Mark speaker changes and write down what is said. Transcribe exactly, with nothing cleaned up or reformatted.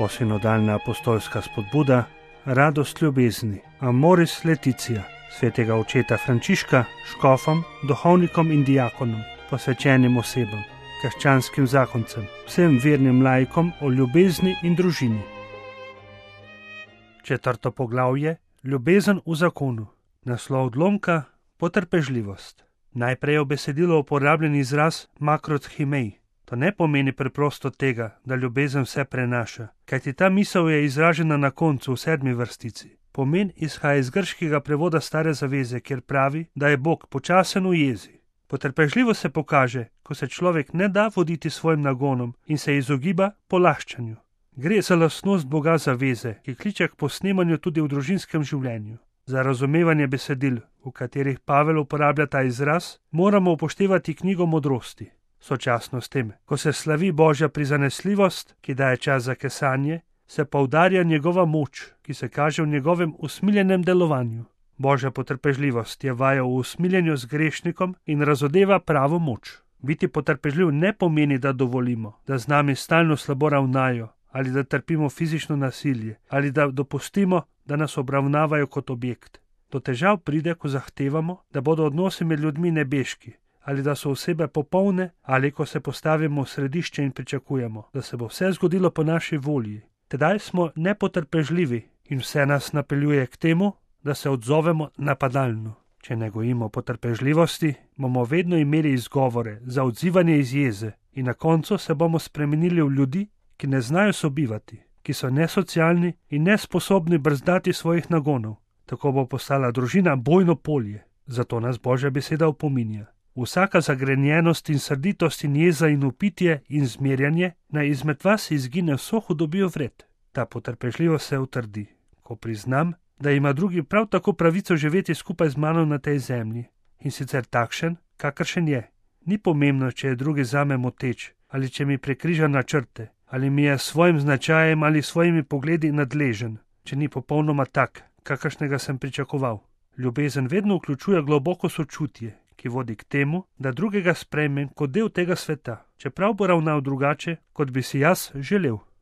Speaker 1: Posinodalna apostolska spodbuda, radost ljubezni, Amoris Laetitia, svetega očeta Frančiška, škofom, duhovnikom in diakonom, posvečenim osebam, krščanskim zakoncem, vsem vernim laikom o ljubezni in družini. Četrto poglavje, ljubezen v zakonu, naslov odlomka, potrpežljivost. Najprej je v besedilu uporabljen izraz makrothimej. To ne pomeni preprosto tega, da ljubezen vse prenaša, kajti ta misel je izražena na koncu v sedmi vrstici. Pomen izhaja iz grškega prevoda Stare zaveze, kjer pravi, da je Bog počasen v jezi. Potrpežljivost se pokaže, ko se človek ne da voditi svojim nagonom in se izogiba polaščanju. Gre za lastnost Boga zaveze, ki kliče k posnemanju tudi v družinskem življenju. Za razumevanje besedil, v katerih Pavel uporablja ta izraz, moramo upoštevati knjigo modrosti. Sočasno s tem, ko se slavi Božja prizanesljivost, ki daje čas za kesanje, se poudarja njegova moč, ki se kaže v njegovem usmiljenem delovanju. Božja potrpežljivost je vaja v usmiljenju z grešnikom in razodeva pravo moč. Biti potrpežljiv ne pomeni, da dovolimo, da z nami stalno slabo ravnajo, ali da trpimo fizično nasilje, ali da dopustimo, da nas obravnavajo kot objekt. Do težav pride, ko zahtevamo, da bodo odnosi med ljudmi nebeški, ali da so osebe popolne, ali ko se postavimo v središče in pričakujemo, da se bo vse zgodilo po naši volji. Tedaj smo nepotrpežljivi in vse nas napeljuje k temu, da se odzovemo napadalno. Če ne gojimo potrpežljivosti, bomo vedno imeli izgovore za odzivanje iz jeze in na koncu se bomo spremenili v ljudi, ki ne znajo sobivati, ki so nesocialni in nesposobni brzdati svojih nagonov. Tako bo postala družina bojno polje. Zato nas Božja beseda opominja. Vsaka zagrenjenost in srditost in jeza in upitje in zmerjanje naj izmed vas izgine vso hudobijo vred. Ta potrpežljivost se utrdi, ko priznam, da ima drugi prav tako pravico živeti skupaj z mano na tej zemlji, in sicer takšen, kakršen je. Ni pomembno, če je drugi zame moteč, ali če mi prekriža načrte, ali mi je s svojim značajem ali svojimi pogledi nadležen, če ni popolnoma tak, kakršnega sem pričakoval. Ljubezen vedno vključuje globoko sočutje, ki vodi k temu, da drugega sprejmem kot del tega sveta, čeprav bo ravnal drugače, kot bi si jaz želel.